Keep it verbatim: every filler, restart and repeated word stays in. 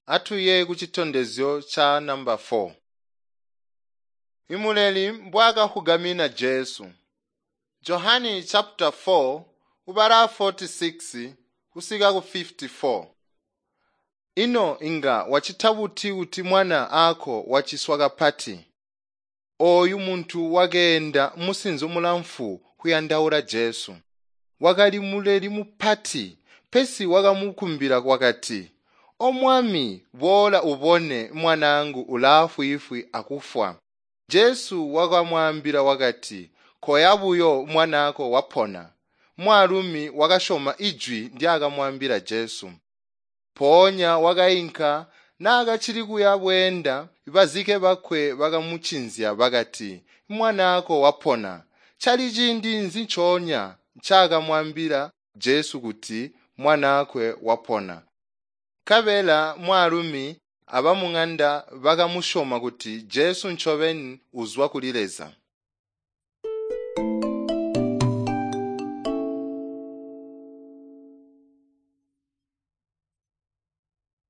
Atuye kucitondezyo ca namba four. Imuleli mbwaakahugamina Jesu. Johani chapter four ubala forty-six kusika ku fifty-four. Ino inga wacita buti kuti mwana aako waciswa kapati? Ooyu muntu wakeenda musinzo mulamfu kuyandaula Jesu. Wakali muleli mupati, pesi wakamukumbila wakati, "O Mwami, boola ubone mwanaangu ulaafwiifwi akufwa." Jesu wakamwaambila wakati, "Koya buyo mwanaako wapona." Mwaalumi wakasyoma ijwi ndyaakamwaambila Jesu. Mpoonya wakainka naakacili kuya bweenda, bazike bakwe bakamucinzya bakati, "Mwanaako wapona." Cali ciindi nzi ncoonya ncaakamwaambila Jesu kuti mwanaakwe wapona. Nkabela mwaalumi abamuŋanda bakamusyoma kuti Jesu ncobeni uzwa kuli Leza.